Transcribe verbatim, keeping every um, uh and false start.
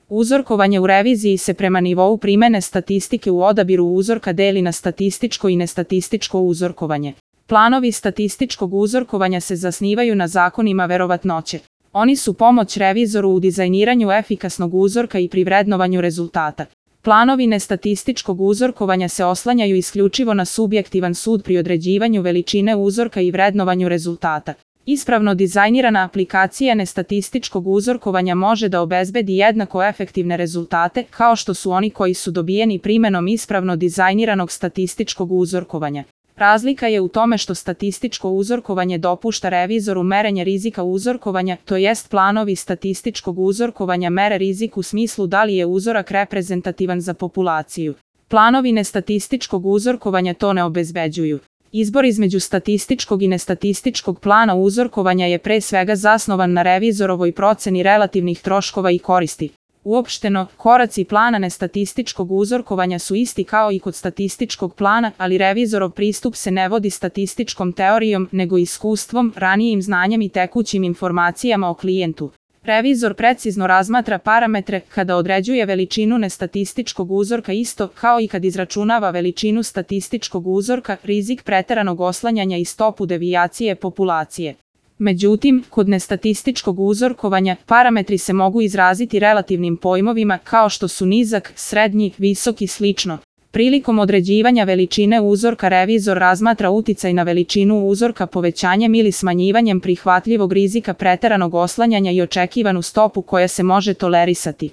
Uzorkovanje u reviziji se prema nivou primene statistike u odabiru uzorka deli na statističko i nestatističko uzorkovanje. Planovi statističkog uzorkovanja se zasnivaju na zakonima verovatnoće. Oni su pomoć revizoru u dizajniranju efikasnog uzorka i pri vrednovanju rezultata. Planovi nestatističkog uzorkovanja se oslanjaju isključivo na subjektivan sud pri određivanju veličine uzorka i vrednovanju rezultata. Ispravno dizajnirana aplikacija nestatističkog uzorkovanja može da obezbedi jednako efektivne rezultate kao što su oni koji su dobijeni primenom ispravno dizajniranog statističkog uzorkovanja. Razlika je u tome što statističko uzorkovanje dopušta revizoru merenje rizika uzorkovanja, to jest planovi statističkog uzorkovanja mere rizik u smislu da li je uzorak reprezentativan za populaciju. Planovi nestatističkog uzorkovanja to ne obezbeđuju. Izbor između statističkog i nestatističkog plana uzorkovanja je pre svega zasnovan na revizorovoj proceni relativnih troškova i koristi. Uopšteno, koraci plana nestatističkog uzorkovanja su isti kao i kod statističkog plana, ali revizorov pristup se ne vodi statističkom teorijom, nego iskustvom, ranijim znanjem i tekućim informacijama o klijentu. Revizor precizno razmatra parametre kada određuje veličinu nestatističkog uzorka isto kao i kad izračunava veličinu statističkog uzorka, rizik preteranog oslanjanja i stopu devijacije populacije. Međutim, kod nestatističkog uzorkovanja, parametri se mogu izraziti relativnim pojmovima kao što su nizak, srednji, visok i slično. Prilikom određivanja veličine uzorka revizor razmatra uticaj na veličinu uzorka povećanjem ili smanjivanjem prihvatljivog rizika preteranog oslanjanja i očekivanu stopu koja se može tolerisati.